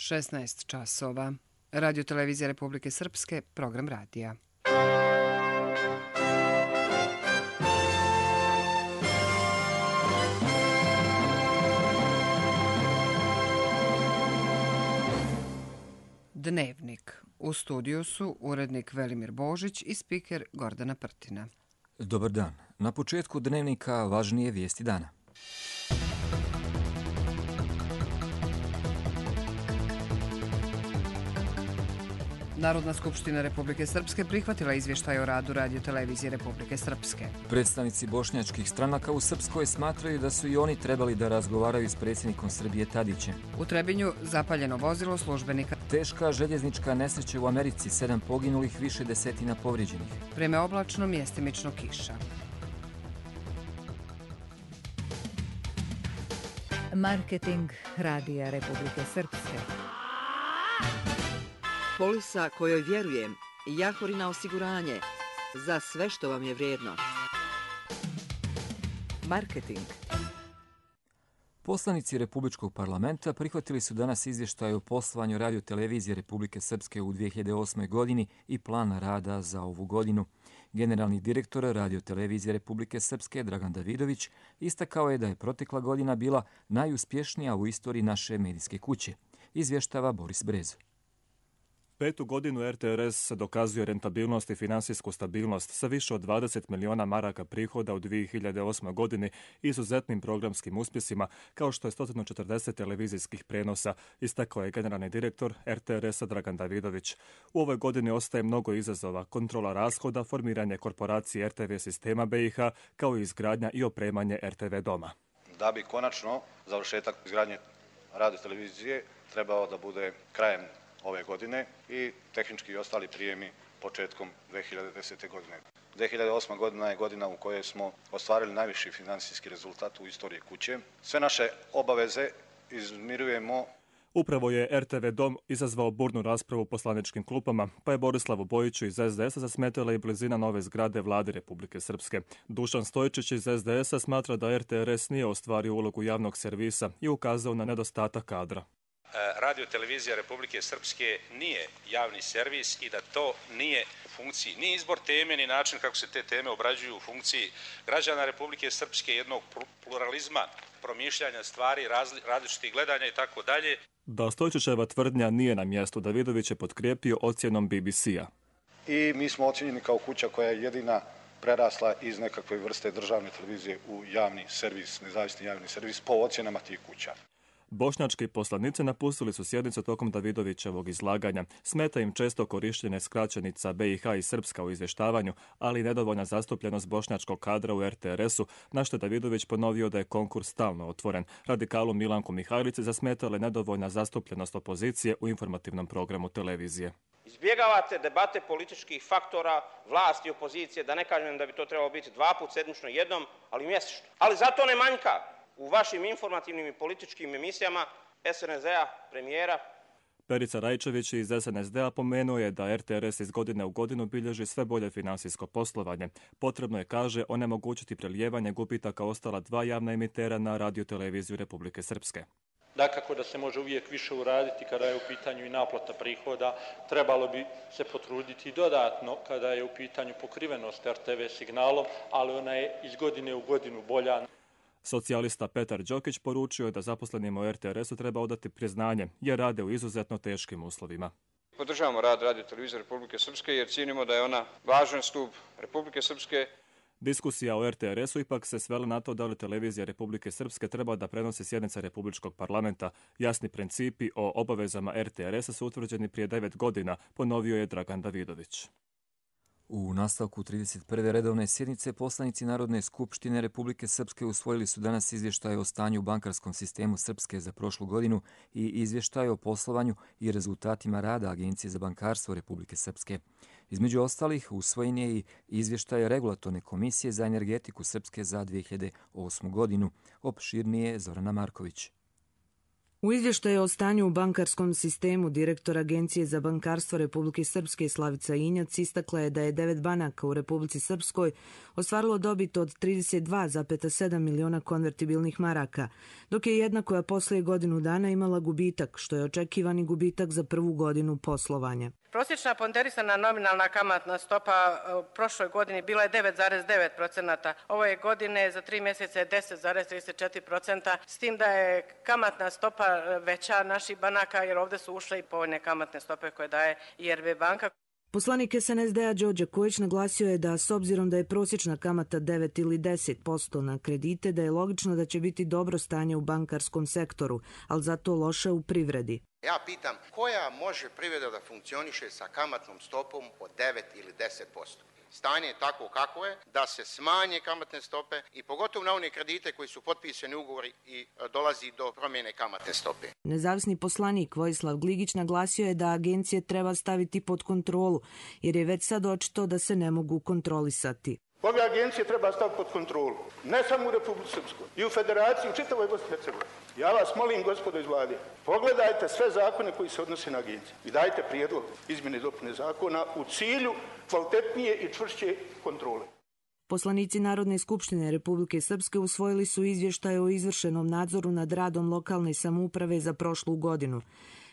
16 časova. Radio Televizija Republike Srpske, program radija. Dnevnik. U studiju su urednik Velimir Božić i spiker Gordana Prtina. Dobar dan. Na početku dnevnika važnije vijesti dana. Narodna skupština Republike Srpske prihvatila izvještaj o radu Radio Televizije Republike Srpske. Predstavnici bošnjačkih stranaka u Srpskoj smatraju da su i oni trebali da razgovaraju s predsjednikom Srbije Tadićem. U Trebinju zapaljeno vozilo službenika. Teška željeznička nesreća u Americi, 7 poginulih, više desetina povrijeđenih. Vreme oblačno, mjestimično kiša. Marketing Radija Republike Srpske. Polisa kojoj vjerujem, Jahorina osiguranje, za sve što vam je vrijedno. Marketing. Poslanici Republičkog parlamenta prihvatili su danas izvještaj o poslovanju Radio Televizije Republike Srpske u 2008. godini i plan rada za ovu godinu. Generalni direktor Radio Televizije Republike Srpske Dragan Davidović istakao je da je protekla godina bila najuspješnija u istoriji naše medijske kuće. Izvještava Boris Brezo. 5. godinu RTRS dokazuje rentabilnost i finansijsku stabilnost sa više od 20 miliona maraka prihoda u 2008. godini i izuzetnim programskim uspjesima, kao što je 140 televizijskih prenosa, istakao je generalni direktor RTRS-a Dragan Davidović. U ovoj godini ostaje mnogo izazova, kontrola rashoda, formiranje korporacije RTV sistema BiH, kao i izgradnja i opremanje RTV doma. Da bi konačno završetak izgradnje radio televizije trebao da bude krajem ove godine i tehnički i ostali prijemi početkom 2010. godine. 2008. godina je godina u kojoj smo ostvarili najviši financijski rezultat u istoriji kuće. Sve naše obaveze izmirujemo. Upravo je RTV dom izazvao burnu raspravu u poslaničkim klupama, pa je Borislavu Bojiću iz SDS-a zasmetala i blizina nove zgrade Vlade Republike Srpske. Dušan Stojičić iz SDS-a smatra da RTRS nije ostvario ulogu javnog servisa i ukazao na nedostatak kadra. Radio Televizija Republike Srpske nije javni servis i da to nije u funkciji ni izbor teme, ni način kako se te teme obrađuju u funkciji građana Republike Srpske, jednog pluralizma, promišljanja stvari, različitih gledanja i tako dalje. Da Stojičićeva tvrdnja nije na mjestu, Davidović je potkrijepio ocjenom BBC-a. I mi smo ocjenjeni kao kuća koja je jedina prerasla iz nekakve vrste državne televizije u javni servis, nezavisni javni servis po ocjenama tih kuća. Bošnjački poslanici napustili su sjednicu tokom Davidovićevog izlaganja. Smeta im često korištenje skraćenica BiH i Srpska u izvještavanju, ali i nedovoljna zastupljenost bošnjačkog kadra u RTRS-u, na što je Davidović ponovio da je konkurs stalno otvoren. Radikalu Milanku Mihajlici zasmetala je nedovoljna zastupljenost opozicije u informativnom programu televizije. Izbjegavate debate političkih faktora, vlasti i opozicije, da ne kažem da bi to trebalo biti 2 puta sedmično, jednom, ali mjesečno. Ali zato ne manjka u vašim informativnim i političkim emisijama SNSD-a, premijera. Perica Rajčević iz SNSD-a pomenuo je da RTRS iz godine u godinu bilježi sve bolje financijsko poslovanje. Potrebno je, kaže, onemogućiti prelijevanje gubitaka ostala 2 javna emitera na Radio Televiziju Republike Srpske. Dakako da se može uvijek više uraditi kada je u pitanju i naplata prihoda. Trebalo bi se potruditi dodatno kada je u pitanju pokrivenost RTV signalom, ali ona je iz godine u godinu bolja. Socijalista Petar Đokić poručio je da zaposlenima u RTRS-u treba odati priznanje, jer rade u izuzetno teškim uslovima. Podržavamo rad Radio Televizije Republike Srpske jer cijenimo da je ona važan stup Republike Srpske. Diskusija o RTRS-u ipak se svela na to da li Televizija Republike Srpske treba da prenosi sjednice Republičkog parlamenta. Jasni principi o obavezama RTRS-a su utvrđeni prije 9 godina, ponovio je Dragan Davidović. U nastavku 31. redovne sjednice poslanici Narodne skupštine Republike Srpske usvojili su danas izvještaj o stanju u bankarskom sistemu Srpske za prošlu godinu i izvještaj o poslovanju i rezultatima rada Agencije za bankarstvo Republike Srpske. Između ostalih usvojen je i izvještaj Regulatorne komisije za energetiku Srpske za 2008. godinu. Opširnije Zorana Marković. U izvještaju o stanju u bankarskom sistemu direktor Agencije za bankarstvo Republike Srpske Slavica Injac istakla je da je 9 banaka u Republici Srpskoj ostvarilo dobit od 32,7 miliona konvertibilnih maraka, dok je jedna koja poslije godinu dana imala gubitak, što je očekivani gubitak za prvu godinu poslovanja. Prosječna ponderisana nominalna kamatna stopa u prošloj godini bila je 9,9%, ove godine za 3 mjeseca je 10,34%, s tim da je kamatna stopa veća naših banaka, jer ovdje su ušle i povoljne kamatne stope koje daje IRB banka. Poslanik SNSD-a Đorđe Kojić naglasio je da s obzirom da je prosječna kamata 9 ili 10% na kredite, da je logično da će biti dobro stanje u bankarskom sektoru, ali zato loše u privredi. Ja pitam, koja može privreda da funkcioniše sa kamatnom stopom od 9 ili 10%? Stanje je tako kako je, da se smanje kamatne stope i pogotovo na one kredite koji su potpisani ugovori i dolazi do promjene kamatne stope. Nezavisni poslanik Vojislav Gligić naglasio je da agencije treba staviti pod kontrolu, jer je već sad očito da se ne mogu kontrolisati. Ove agencije treba staviti pod kontrolu, ne samo u Republici Srpskoj, i u Federaciji, u čitavoj Bosni i Hercegovini. Ja vas molim, gospodo iz vlade, pogledajte sve zakone koji se odnose na agencije i dajte prijedlog izmjene i dopune zakona u cilju kvalitetnije i čvršće kontrole. Poslanici Narodne skupštine Republike Srpske usvojili su izvještaj o izvršenom nadzoru nad radom lokalne samouprave za prošlu godinu.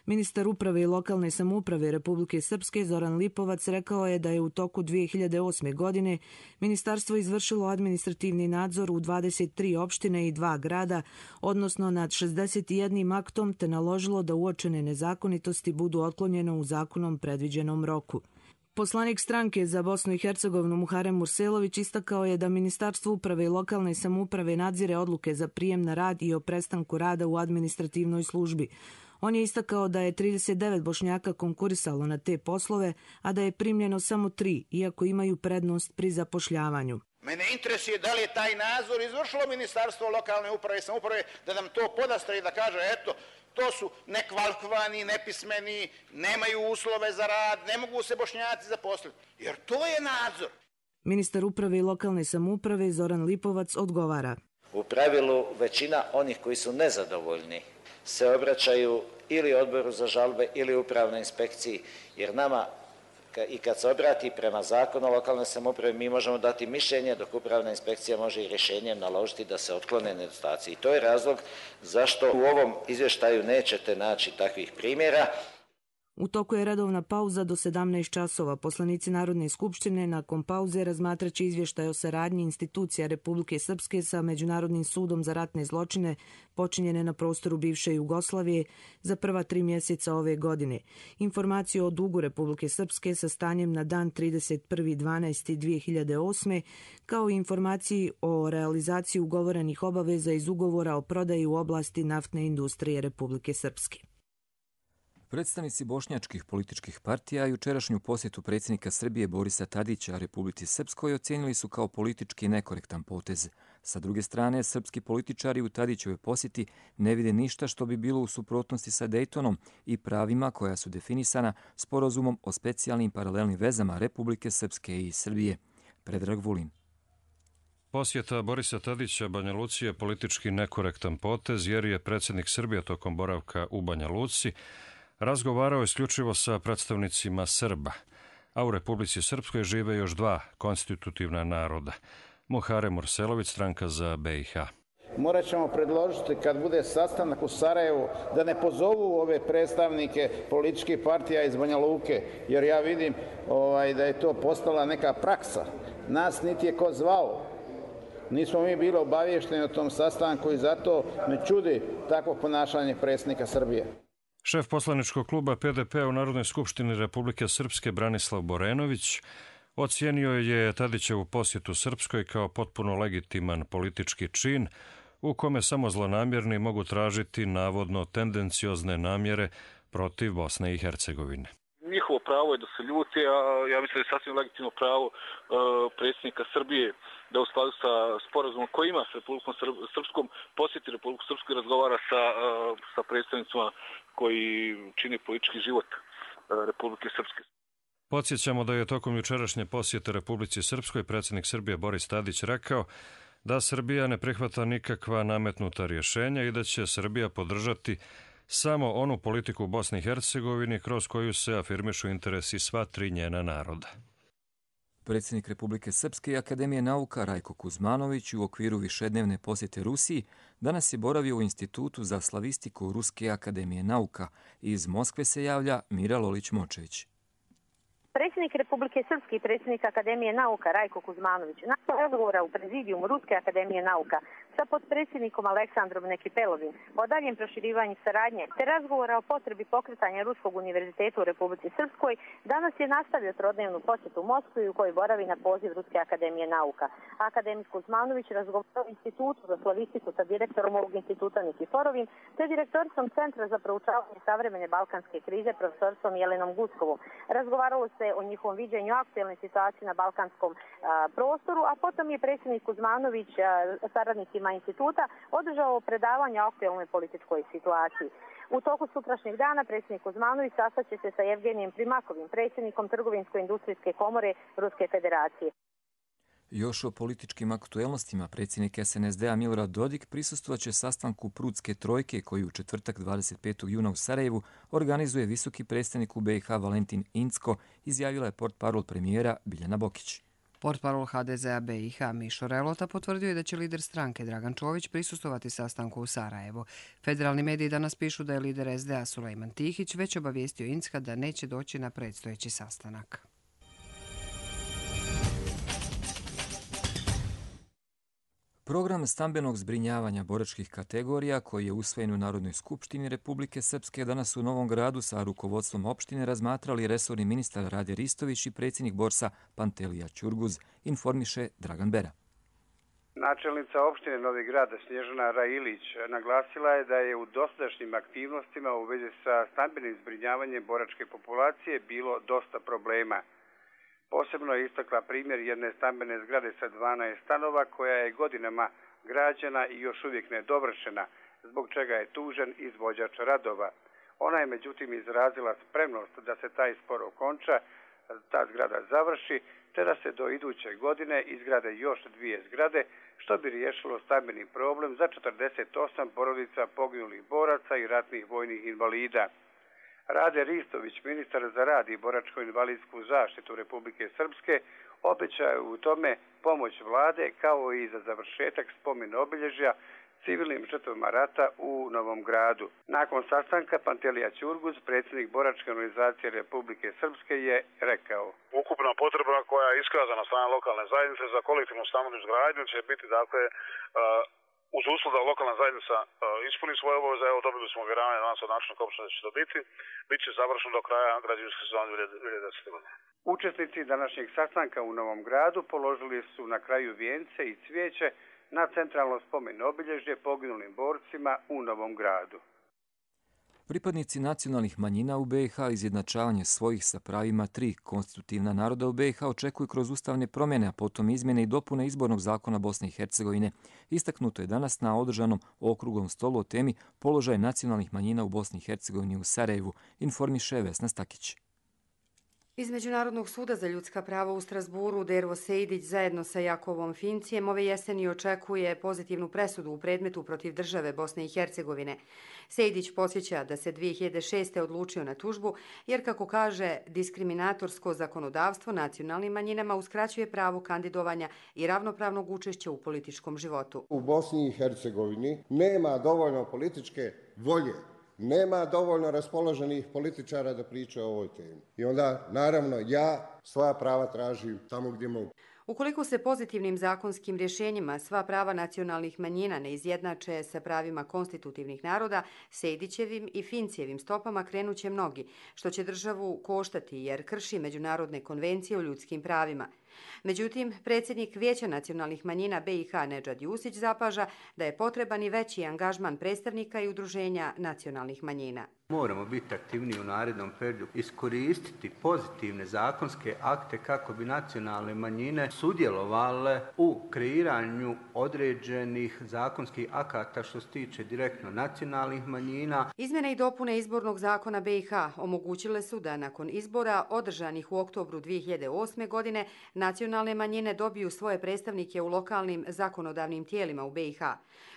Ministar uprave i lokalne samouprave Republike Srpske Zoran Lipovac rekao je da je u toku 2008. godine ministarstvo izvršilo administrativni nadzor u 23 opštine i 2 grada, odnosno nad 61 aktom, te naložilo da uočene nezakonitosti budu otklonjene u zakonom predviđenom roku. Poslanik stranke za Bosnu i Hercegovinu Muharem Murselović istakao je da Ministarstvo uprave i lokalne samouprave nadzire odluke za prijem na rad i o prestanku rada u administrativnoj službi. On je istakao da je 39 Bošnjaka konkurisalo na te poslove, a da je primljeno samo 3, iako imaju prednost pri zapošljavanju. Mene interesuje da li je taj nadzor izvršilo Ministarstvo lokalne uprave i samouprave, da nam to podastre i da kaže, eto, to su nekvalifikovani, nepismeni, nemaju uslove za rad, ne mogu se Bošnjaci zaposliti. Jer to je nadzor. Ministar uprave i lokalne samouprave Zoran Lipovac odgovara. U pravilu većina onih koji su nezadovoljni se obraćaju ili odboru za žalbe ili upravnoj inspekciji, jer nama i kad se obrati prema zakonu o lokalnoj samoupravi mi možemo dati mišljenje, dok upravna inspekcija može i rješenjem naložiti da se otklone nedostaci. I to je razlog zašto u ovom izvještaju nećete naći takvih primjera. U toku je redovna pauza do 17 časova. Poslanici Narodne skupštine nakon pauze razmatraće izvještaj o saradnji institucija Republike Srpske sa Međunarodnim sudom za ratne zločine počinjene na prostoru bivše Jugoslavije za prva 3 mjeseca ove godine. Informaciju o dugu Republike Srpske sa stanjem na dan 31.12.2008. kao i informaciji o realizaciji ugovorenih obaveza iz ugovora o prodaji u oblasti naftne industrije Republike Srpske. Predstavnici bošnjačkih političkih partija jučerašnju posjetu predsjednika Srbije Borisa Tadića Republici Srpskoj ocijenili su kao politički nekorektan potez. Sa druge strane, srpski političari u Tadićevoj posjeti ne vide ništa što bi bilo u suprotnosti sa Dejtonom i pravima koja su definisana sporazumom o specijalnim paralelnim vezama Republike Srpske i Srbije. Predrag Vulin. Posjeta Borisa Tadića Banja Luci je politički nekorektan potez jer je predsjednik Srbije tokom boravka u Banja Luci razgovarao isključivo sa predstavnicima Srba, a u Republici Srpskoj žive još 2 konstitutivna naroda. Muharem Murselović, stranka za BiH. Morat ćemo predložiti kad bude sastanak u Sarajevu da ne pozovu ove predstavnike političkih partija iz Banja Luke, jer ja vidim da je to postala neka praksa. Nas niti je ko zvao. Nismo mi bili obavješteni o tom sastanku i zato me čudi takvo ponašanje predsjednika Srbije. Šef poslaničkog kluba PDP u Narodnoj skupštini Republike Srpske Branislav Borenović ocijenio je Tadićevu posjetu Srpskoj kao potpuno legitiman politički čin u kome samo zlonamjerni mogu tražiti navodno tendenciozne namjere protiv Bosne i Hercegovine. Njihovo pravo je da se ljuti, a ja mislim da je sasvim legitimno pravo predsjednika Srbije da u skladu sa sporazumom koji ima s Republikom Srpskom posjeti Republiku Srpsku i razgovara sa predstavnicima koji čine politički život Republike Srpske. Podsjećamo da je tokom jučerašnje posjete Republici Srpskoj predsjednik Srbije Boris Tadić rekao da Srbija ne prihvata nikakva nametnuta rješenja i da će Srbija podržati samo onu politiku u Bosni i Hercegovini kroz koju se afirmišu interesi sva tri njena naroda. Predsjednik Republike Srpske i Akademije nauka Rajko Kuzmanović u okviru višednevne posjete Rusiji danas je boravio u Institutu za slavistiku Ruske akademije nauka. Iz Moskve se javlja Mira Lolić-Močević. Predsjednik Republike Srpske i predsjednik Akademije nauka Rajko Kuzmanović nakon razgovora u prezidijumu Ruske akademije nauka sa potpredsjednikom Aleksandrom Nekipelovim o daljem proširivanju saradnje te razgovora o potrebi pokretanja Ruskog univerziteta u Republici Srpskoj, danas je nastavio trodnevnu posjetu u Moskvi u kojoj boravi na poziv Ruske akademije nauka. Akademik Kuzmanović razgovarao u Institutu za slavistiku sa direktorom ovog instituta Nikiforovim te direktoricom Centra za proučavanje savremene balkanske krize profesoricom Jelenom Guskovom. Razgovaralo se o njihovom viđenju aktuelne situacije na balkanskom prostoru, a potom je predsjednik Kuzmanović saradnicima instituta održao predavanje o aktuelnoj političkoj situaciji. U toku sutrašnjeg dana predsjednik Kuzmanović sastaće se sa Evgenijem Primakovim, predsjednikom Trgovinsko-industrijske komore Ruske federacije. Još o političkim aktuelnostima predsjednik SNSD-a Milorad Dodik prisustvovaće sastanku Prudske trojke koji u četvrtak 25. juna u Sarajevu organizuje visoki predstavnik u BiH Valentin Incko, izjavila je portparol premijera Biljana Bokić. Portparol HDZ-a BiH Mišo Relota potvrdio je da će lider stranke Dragan Čović prisustovati sastanku u Sarajevo. Federalni mediji danas pišu da je lider SDA Sulejman Tihić već obavijestio Incka da neće doći na predstojeći sastanak. Program stambenog zbrinjavanja boračkih kategorija koji je usvojen u Narodnoj skupštini Republike Srpske danas u Novom Gradu sa rukovodstvom opštine razmatrali resorni ministar Rade Ristović i predsjednik Borsa Pantelija Ćurguz, informiše Dragan Bera. Načelnica opštine Novi Grad Snježana Railić naglasila je da je u dosadašnjim aktivnostima u vezi sa stambenim zbrinjavanjem boračke populacije bilo dosta problema. Posebno je istakla primjer jedne stambene zgrade sa 12 stanova koja je godinama građena i još uvijek nedovršena, zbog čega je tužen izvođač radova. Ona je međutim izrazila spremnost da se taj spor okonča, ta zgrada završi, te da se do iduće godine izgrade još 2 zgrade, što bi riješilo stambeni problem za 48 porodica poginulih boraca i ratnih vojnih invalida. Rade Ristović, ministar za rad i boračko-invalidsku zaštitu Republike Srpske, obećaju u tome pomoć vlade kao i za završetak spomen obilježja civilnim žrtvama rata u Novom Gradu. Nakon sastanka Pantelija Ćurguz, predsjednik boračke organizacije Republike Srpske, je rekao: ukupna potreba koja je iskazana strane lokalne zajednice za kolektivnu stambenu izgradnju će biti uz uslov da lokalna zajednica ispuni svoje obaveze. Evo, dobili smo uvjeravanje danas od načelnika opštine da će to biti. Biće završeno do kraja građevinske sezone 2010. godine. Učesnici današnjeg sastanka u Novom Gradu položili su na kraju vijence i cvijeće na centralno spomen obilježje poginulim borcima u Novom Gradu. Pripadnici nacionalnih manjina u BiH izjednačavanje svojih sa pravima 3 konstitutivna naroda u BiH očekuju kroz ustavne promjene, a potom izmjene i dopune izbornog zakona Bosne i Hercegovine. Istaknuto je danas na održanom okruglom stolu o temi položaj nacionalnih manjina u Bosni i Hercegovini u Sarajevu, informiše Vesna Stakić. Iz Međunarodnog suda za ljudska prava u Strasburu Dervo Sejdić zajedno sa Jakovom Fincijem ove jeseni očekuje pozitivnu presudu u predmetu protiv države Bosne i Hercegovine. Sejdić podsjeća da se 2006. odlučio na tužbu jer, kako kaže, diskriminatorsko zakonodavstvo nacionalnim manjinama uskraćuje pravo kandidovanja i ravnopravnog učešća u političkom životu. U Bosni i Hercegovini nema dovoljno političke volje, nema dovoljno raspoloženih političara da pričaju o ovoj temi. I onda, naravno, ja svoja prava tražim tamo gdje mogu. Ukoliko se pozitivnim zakonskim rješenjima sva prava nacionalnih manjina ne izjednače sa pravima konstitutivnih naroda, Sejdićevim i Fincijevim stopama krenuće mnogi, što će državu koštati jer krši međunarodne konvencije o ljudskim pravima. Međutim, predsjednik Vijeća nacionalnih manjina BiH Nedžad Jusić zapaža da je potreban i veći angažman predstavnika i udruženja nacionalnih manjina. Moramo biti aktivniji u narednom periodu, iskoristiti pozitivne zakonske akte kako bi nacionalne manjine sudjelovale u kreiranju određenih zakonskih akata što se tiče direktno nacionalnih manjina. Izmjene i dopune izbornog zakona BiH omogućile su da nakon izbora održanih u oktobru 2008. godine nacionalne manjine dobiju svoje predstavnike u lokalnim zakonodavnim tijelima u BiH.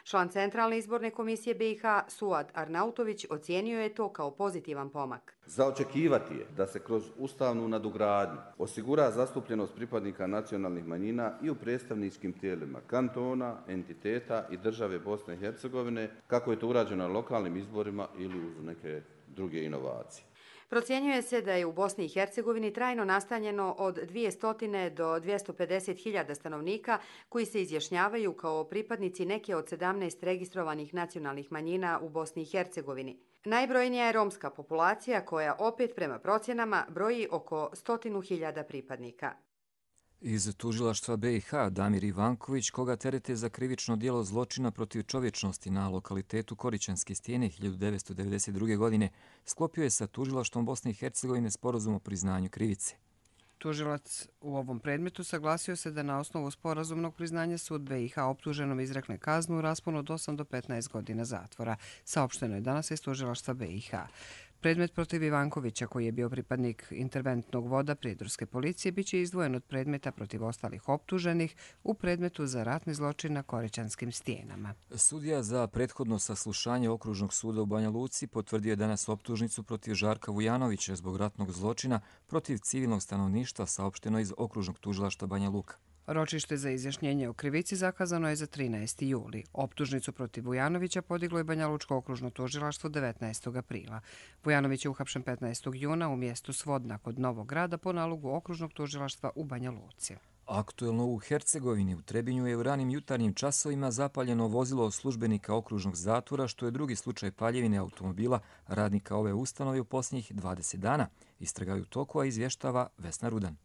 Član Centralne izborne komisije BiH Suad Arnautović ocijenio je to kao pozitivan pomak. Za očekivati je da se kroz ustavnu nadogradnju osigura zastupljenost pripadnika nacionalnih manjina i u predstavničkim tijelima kantona, entiteta i države Bosne i Hercegovine, kako je to urađeno na lokalnim izborima ili uz neke druge inovacije. Procjenjuje se da je u Bosni i Hercegovini trajno nastanjeno od 200 do 250 hiljada stanovnika koji se izjašnjavaju kao pripadnici neke od 17 registrovanih nacionalnih manjina u Bosni i Hercegovini. Najbrojnija je romska populacija koja opet prema procjenama broji oko 100.000 pripadnika. Iz tužilaštva BiH Damir Ivanković, koga terete za krivično djelo zločina protiv čovječnosti na lokalitetu Korićanske stijene 1992. godine, sklopio je sa tužilaštvom Bosne i Hercegovine sporazum o priznanju krivice. Tužilac u ovom predmetu saglasio se da na osnovu sporazumnog priznanja sud BiH optuženom izrekne kaznu u rasponu od 8 do 15 godina zatvora. Saopšteno je danas iz tužilaštva BiH. Predmet protiv Ivankovića, koji je bio pripadnik interventnog voda prijedorske policije, bit će izdvojen od predmeta protiv ostalih optuženih u predmetu za ratni zločin na Korićanskim stijenama. Sudija za prethodno saslušanje Okružnog suda u Banja Luci potvrdio je danas optužnicu protiv Žarka Vujanovića zbog ratnog zločina protiv civilnog stanovništva, saopšteno iz Okružnog tužilaštva Banja Luka. Ročište za izjašnjenje o krivici zakazano je za 13. juli. Optužnicu protiv Vujanovića podiglo je Banja Lučko okružno tužilaštvo 19. aprila. Vujanović je uhapšen 15. juna u mjestu Svodna kod Novog Grada po nalogu okružnog tužilaštva u Banja Luci. Aktuelno u Hercegovini u Trebinju je u ranim jutarnjim časovima zapaljeno vozilo službenika okružnog zatvora, što je drugi slučaj paljevine automobila radnika ove ustanove u posljednjih 20 dana. Istraga je u toku, a izvještava Vesna Rudan.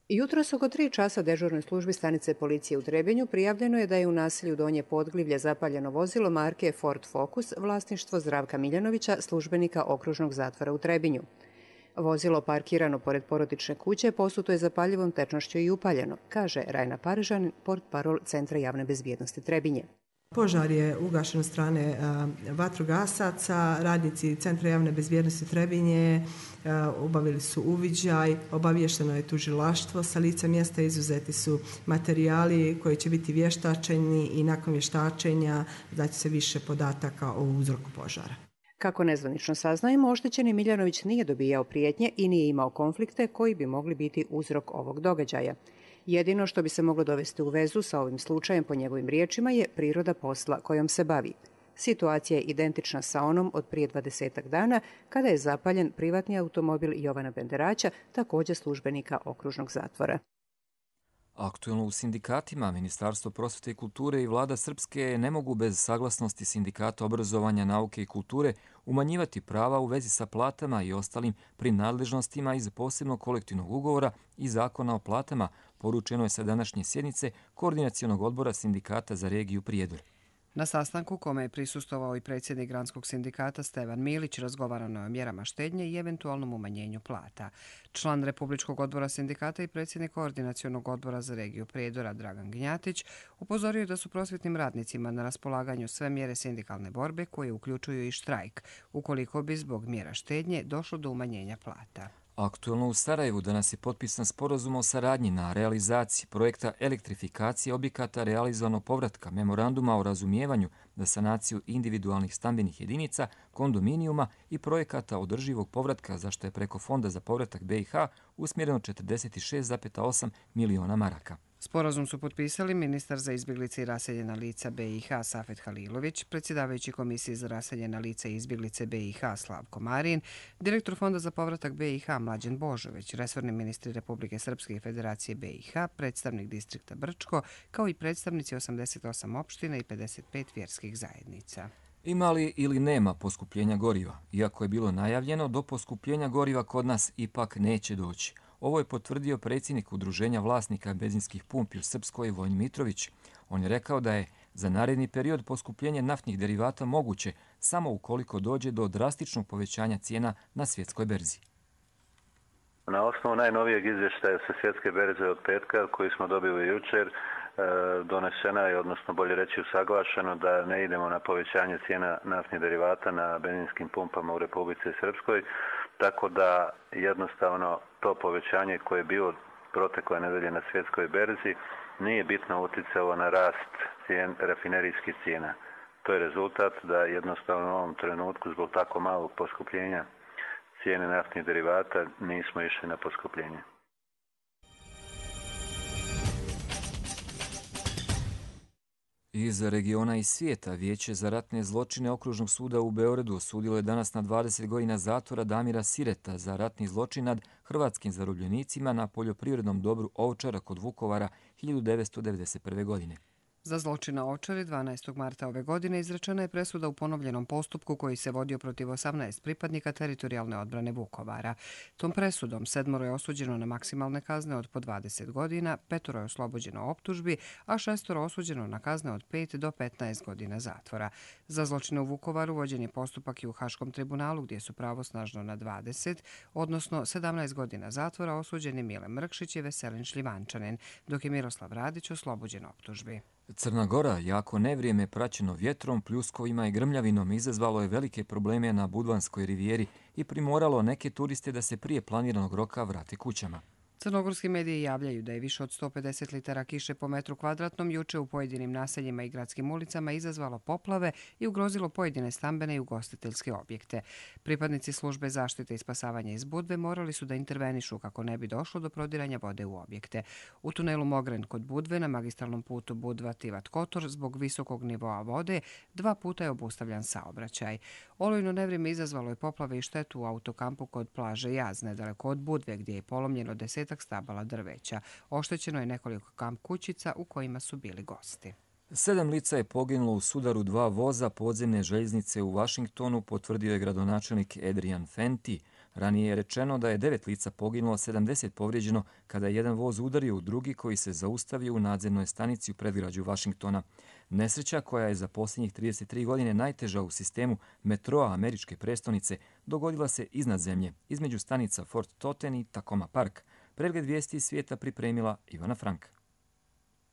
Jutros oko 3 časa dežurnoj službi stanice policije u Trebinju prijavljeno je da je u naselju Donje Podglivlje zapaljeno vozilo marke Ford Focus, vlasništvo Zdravka Miljanovića, službenika okružnog zatvora u Trebinju. Vozilo parkirano pored porodične kuće posuto je zapaljivom tečnošću i upaljeno, kaže Rajna Parežan, portparol Centra javne bezbjednosti Trebinje. Požar je ugašen od strane vatrogasaca, radnici Centra javne bezbjednosti Trebinje obavili su uviđaj, obaviješteno je tužilaštvo, sa lica mjesta izuzeti su materijali koji će biti vještačeni i nakon vještačenja daće se više podataka o uzroku požara. Kako nezvanično saznajemo, oštećeni Miljanović nije dobijao prijetnje i nije imao konflikte koji bi mogli biti uzrok ovog događaja. Jedino što bi se moglo dovesti u vezu sa ovim slučajem po njegovim riječima je priroda posla kojom se bavi. Situacija je identična sa onom od prije 20 dana kada je zapaljen privatni automobil Jovana Benderaća, također službenika okružnog zatvora. Aktuelno u sindikatima, Ministarstvo prosvete i kulture i vlada Srpske ne mogu bez saglasnosti Sindikata obrazovanja, nauke i kulture umanjivati prava u vezi sa platama i ostalim prinadležnostima iz posebnog kolektivnog ugovora i zakona o platama, poručeno je sa današnje sjednice Koordinacionog odbora Sindikata za regiju Prijedor. Na sastanku kome je prisustvovao i predsjednik Granskog sindikata Stevan Milić, razgovarano je o mjerama štednje i eventualnom umanjenju plata. Član Republičkog odbora sindikata i predsjednik Koordinacionog odbora za regiju Prijedora Dragan Gnjatić upozorio je da su prosvjetnim radnicima na raspolaganju sve mjere sindikalne borbe koje uključuju i štrajk, ukoliko bi zbog mjera štednje došlo do umanjenja plata. Aktuelno u Sarajevu danas je potpisan sporazum o saradnji na realizaciji projekta elektrifikacije objekata realizovanog povratka, memoranduma o razumijevanju za sanaciju individualnih stambenih jedinica, kondominijuma i projekata održivog povratka, za što je preko Fonda za povratak BiH usmjereno 46,8 miliona maraka. Sporazum su potpisali ministar za izbjeglice i raseljena lica BiH Safet Halilović, predsjedavajući Komisije za raseljena lica i izbjeglice BiH Slavko Marin, direktor Fonda za povratak BiH Mlađan Božović, resorni ministri Republike Srpske i Federacije BiH, predstavnik distrikta Brčko, kao i predstavnici 88 opština i 55 vjerskih zajednica. Ima li ili nema poskupljenja goriva? Iako je bilo najavljeno, do poskupljenja goriva kod nas ipak neće doći. Ovo je potvrdio predsjednik Udruženja vlasnika benzinskih pumpi u Srpskoj Vojin Mitrović. On je rekao da je za naredni period poskupljenje naftnih derivata moguće samo ukoliko dođe do drastičnog povećanja cijena na svjetskoj berzi. Na osnovu najnovijeg izvještaja sa svjetske berze od petka koji smo dobili jučer, donesena je, odnosno bolje reći usaglašeno, da ne idemo na povećanje cijena naftnih derivata na benzinskim pumpama u Republici Srpskoj, tako da jednostavno to povećanje koje je bilo protekle nedelje na svjetskoj berzi nije bitno uticalo na rast rafinerijskih cijena. To je rezultat da jednostavno u ovom trenutku zbog tako malog poskupljenja cijene naftnih derivata nismo išli na poskupljenje. Iz regiona i svijeta Vijeće za ratne zločine Okružnog suda u Beogradu osudilo je danas na 20 godina zatvora Damira Sireta za ratni zločin nad hrvatskim zarobljenicima na poljoprivrednom dobru Ovčara kod Vukovara 1991. godine. Za zločin na Ovčari 12. marta ove godine izrečena je presuda u ponovljenom postupku koji se vodio protiv 18 pripadnika teritorijalne odbrane Vukovara. Tom presudom 7 je osuđeno na maksimalne kazne od po 20 godina, 5 je oslobođeno optužbi, a 6 osuđeno na kazne od 5 do 15 godina zatvora. Za zločine u Vukovaru vođen je postupak i u Haškom tribunalu gdje su pravosnažno na 20, odnosno 17 godina zatvora osuđeni Mile Mrkšić i Veselin Šljivančanin, dok je Miroslav Radić oslobođen optužbi. Crna Gora, jako nevrijeme praćeno vjetrom, pljuskovima i grmljavinom, izazvalo je velike probleme na Budvanskoj rivijeri i primoralo neke turiste da se prije planiranog roka vrate kućama. Crnogorski mediji javljaju da je više od 150 litara kiše po metru kvadratnom juče u pojedinim naseljima i gradskim ulicama izazvalo poplave i ugrozilo pojedine stambene i ugostiteljske objekte. Pripadnici službe zaštite i spasavanja iz Budve morali su da intervenišu kako ne bi došlo do prodiranja vode u objekte. U tunelu Mogren kod Budve na magistralnom putu Budva-Tivat Kotor zbog visokog nivoa vode 2 puta je obustavljan saobraćaj. Olujno nevrijeme izazvalo je poplave i štetu u autokampu kod plaže Jaz, nedaleko od Budve, gdje je polomljeno 10 stabala drveća. Oštećeno je nekoliko kamp kućica u kojima su bili gosti. 7 lica je poginulo u sudaru 2 voza podzemne željeznice u Vašingtonu, potvrdio je gradonačelnik Adrian Fenty. Ranije je rečeno da je 9 lica poginulo, 70 povrijeđeno kada je jedan voz udario u drugi koji se zaustavio u nadzemnoj stanici u predgrađu Vašingtona. Nesreća, koja je za posljednjih 33 godine najteža u sistemu metroa američke prestonice, dogodila se iznad zemlje, između stanica Fort Totten i Tacoma Park. Pregled vijesti iz svijeta pripremila Ivana Frank.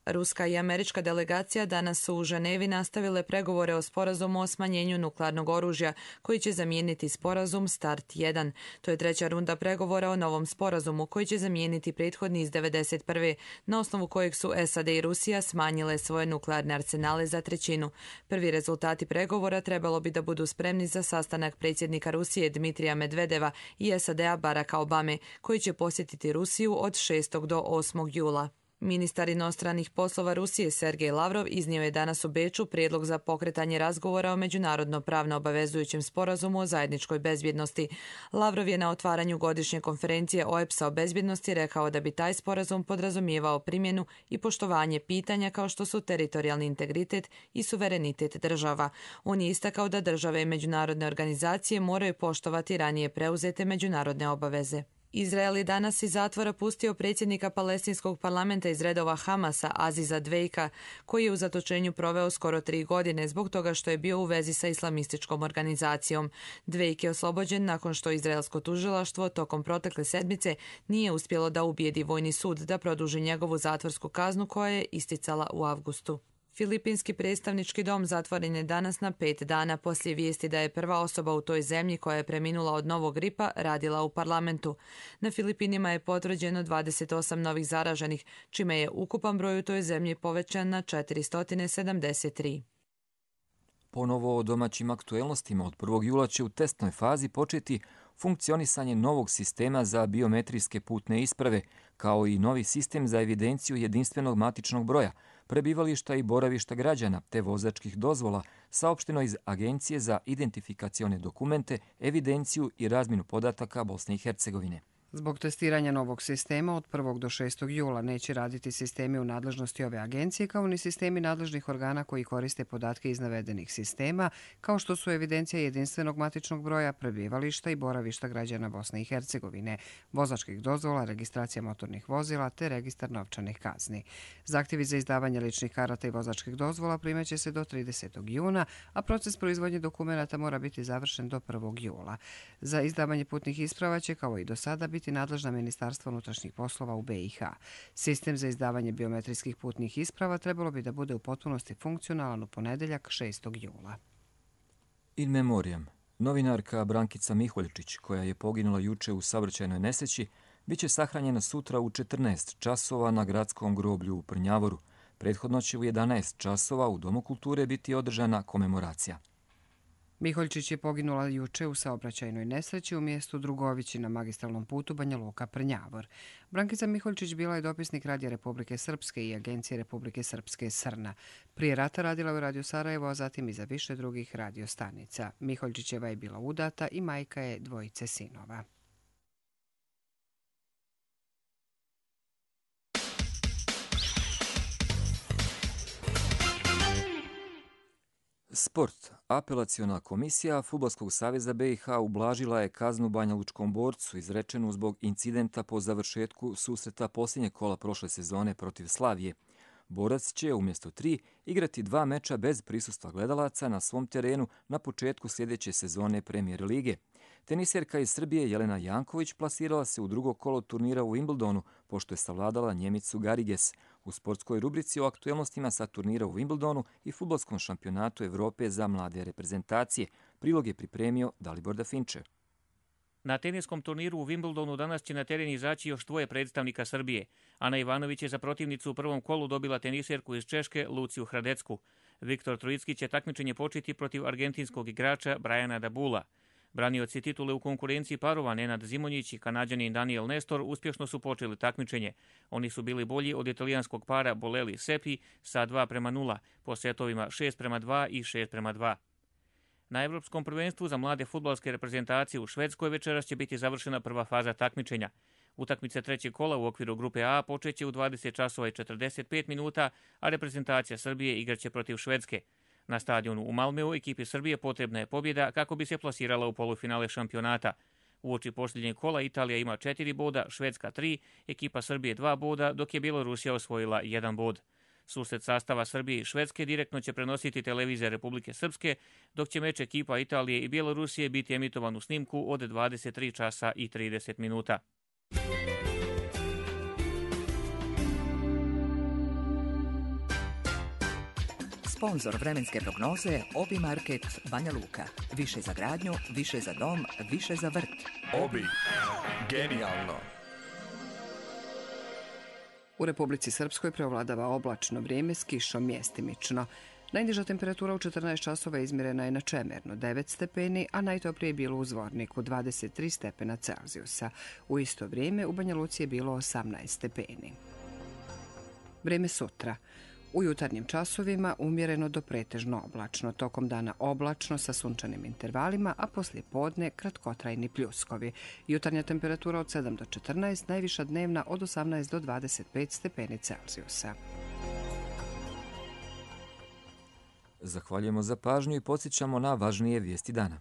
Ruska i američka delegacija danas su u Ženevi nastavile pregovore o sporazumu o smanjenju nuklearnog oružja, koji će zamijeniti sporazum START 1. To je 3. runda pregovora o novom sporazumu, koji će zamijeniti prethodni iz 1991. na osnovu kojeg su SAD i Rusija smanjile svoje nuklearne arsenale za 1/3. Prvi rezultati pregovora trebalo bi da budu spremni za sastanak predsjednika Rusije Dmitrija Medvedeva i SAD-a Baracka Obame, koji će posjetiti Rusiju od 6. do 8. jula. Ministar inostranih poslova Rusije Sergej Lavrov iznio je danas u Beču prijedlog za pokretanje razgovora o međunarodno pravno obavezujućem sporazumu o zajedničkoj bezbjednosti. Lavrov je na otvaranju godišnje konferencije OEPS-a o bezbjednosti rekao da bi taj sporazum podrazumijevao primjenu i poštovanje pitanja kao što su teritorijalni integritet i suverenitet država. On je istakao da države i međunarodne organizacije moraju poštovati ranije preuzete međunarodne obaveze. Izrael je danas iz zatvora pustio predsjednika palestinskog parlamenta iz redova Hamasa Aziza Dvejka, koji je u zatočenju proveo skoro 3 godine zbog toga što je bio u vezi sa islamističkom organizacijom. Dvejk je oslobođen nakon što izraelsko tužilaštvo tokom protekle sedmice nije uspjelo da ubijedi vojni sud da produži njegovu zatvorsku kaznu koja je isticala u avgustu. Filipinski predstavnički dom zatvoren je danas na 5 dana poslije vijesti da je prva osoba u toj zemlji koja je preminula od novog gripa radila u parlamentu. Na Filipinima je potvrđeno 28 novih zaraženih, čime je ukupan broj u toj zemlji povećan na 473. Ponovo o domaćim aktuelnostima. Od 1. jula će u testnoj fazi početi funkcionisanje novog sistema za biometrijske putne isprave, kao i novi sistem za evidenciju jedinstvenog matičnog broja, prebivališta i boravišta građana te vozačkih dozvola, saopšteno iz Agencije za identifikacione dokumente, evidenciju i razmjenu podataka Bosne i Hercegovine. Zbog testiranja novog sistema od 1. do 6. jula neće raditi sistemi u nadležnosti ove agencije kao ni sistemi nadležnih organa koji koriste podatke iz navedenih sistema, kao što su evidencija jedinstvenog matičnog broja, prebivališta i boravišta građana Bosne i Hercegovine, vozačkih dozvola, registracija motornih vozila te registar novčanih kazni. Zahtjevi za izdavanje ličnih karata i vozačkih dozvola primaće se do 30. juna, a proces proizvodnje dokumenata mora biti završen do 1. jula. Za izdavanje putnih isprava će, kao i do sada, biti nadležna Ministarstva unutrašnjih poslova u BiH. Sistem za izdavanje biometrijskih putnih isprava trebalo bi da bude u potpunosti funkcionalan u ponedjeljak 6. jula. In memoriam. Novinarka Brankica Miholjčić, koja je poginula juče u saobraćajnoj nesreći, biće sahranjena sutra u 14 časova na gradskom groblju u Prnjavoru. Prethodno će u 11 časova u Domu kulture biti održana komemoracija. Miholjčić je poginula juče u saobraćajnoj nesreći u mjestu Drugovići na magistralnom putu Banja Luka-Prnjavor. Brankica Miholjčić bila je dopisnik Radija Republike Srpske i Agencije Republike Srpske Srna. Prije rata radila u Radio Sarajevo, a zatim i za više drugih radiostanica. Miholjčićeva je bila udata i majka je dvojice sinova. Sport. Apelaciona komisija Fudbalskog saveza BiH ublažila je kaznu banjalučkom borcu izrečenu zbog incidenta po završetku susreta posljednjeg kola prošle sezone protiv Slavije. Borac će umjesto 3 igrati 2 meča bez prisustva gledalaca na svom terenu na početku sljedeće sezone Premier lige. Teniserka iz Srbije Jelena Janković plasirala se u drugo kolo turnira u Wimbledonu, pošto je savladala Njemicu Gariges. U sportskoj rubrici o aktuelnostima sa turnira u Wimbledonu i fudbalskom šampionatu Evrope za mlade reprezentacije. Prilog je pripremio Dalibor Dafinče. Na teniskom turniru u Wimbledonu danas će na teren izaći još 2 predstavnika Srbije. Ana Ivanović je za protivnicu u prvom kolu dobila teniserku iz Češke Luciju Hradecku. Viktor Trojicki će takmičenje početi protiv argentinskog igrača Brajana Dabula. Branioci titule u konkurenciji parova Nenad Zimonjić i Kanađanin Daniel Nestor uspješno su počeli takmičenje. Oni su bili bolji od italijanskog para Bolelli Seppi sa 2:0, po setovima 6:2 i 6:2. Na Evropskom prvenstvu za mlade fudbalske reprezentacije u Švedskoj večeras će biti završena prva faza takmičenja. Utakmice trećeg kola u okviru grupe A počeće u 20 časova i 45 minuta, a reprezentacija Srbije igraće protiv Švedske. Na stadionu u Malmeu ekipi Srbije potrebna je pobjeda kako bi se plasirala u polufinale šampionata. Uoči posljednjeg kola Italija ima 4 boda, Švedska 3, ekipa Srbije 2 boda, dok je Bjelorusija osvojila 1 bod. Susret sastava Srbije i Švedske direktno će prenositi televizija Republike Srpske, dok će meč ekipa Italije i Bjelorusije biti emitovan u snimku od 23 časa i 30 minuta. Sponzor vremenske prognoze Obi Market Banja Luka. Više za gradnju, više za dom, više za vrt. Obi. Genijalno. U Republici Srpskoj preovladava oblačno vrijeme s kišom mjestimično. Najniža temperatura u 14 časova izmjerena je na Čemernu 9 stepeni, a najtoplije je bilo u Zvorniku 23 stepena Celzijusa. U isto vrijeme u Banja Luci je bilo 18 stepeni. Vrijeme sutra. U jutarnjim časovima umjereno do pretežno oblačno, tokom dana oblačno sa sunčanim intervalima, a poslije podne kratkotrajni pljuskovi. Jutarnja temperatura od 7 do 14, najviša dnevna od 18 do 25 stepeni Celzijusa. Zahvaljujemo za pažnju i podsjećamo na važnije vijesti dana.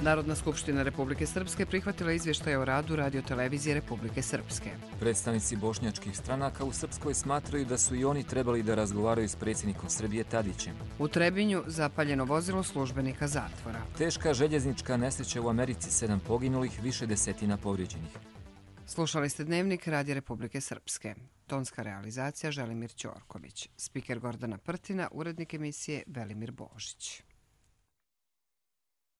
Narodna skupština Republike Srpske prihvatila izvještaje o radu radiotelevizije Republike Srpske. Predstavnici bošnjačkih stranaka u Srpskoj smatraju da su i oni trebali da razgovaraju s predsjednikom Srbije Tadićem. U Trebinju zapaljeno vozilo službenika zatvora. Teška željeznička nesreća u Americi, 7 poginulih, više desetina povrijeđenih. Slušali ste Dnevnik Radija Republike Srpske. Tonska realizacija Želimir Ćorković. Spiker Gordana Prtina, urednik emisije Velimir Božić.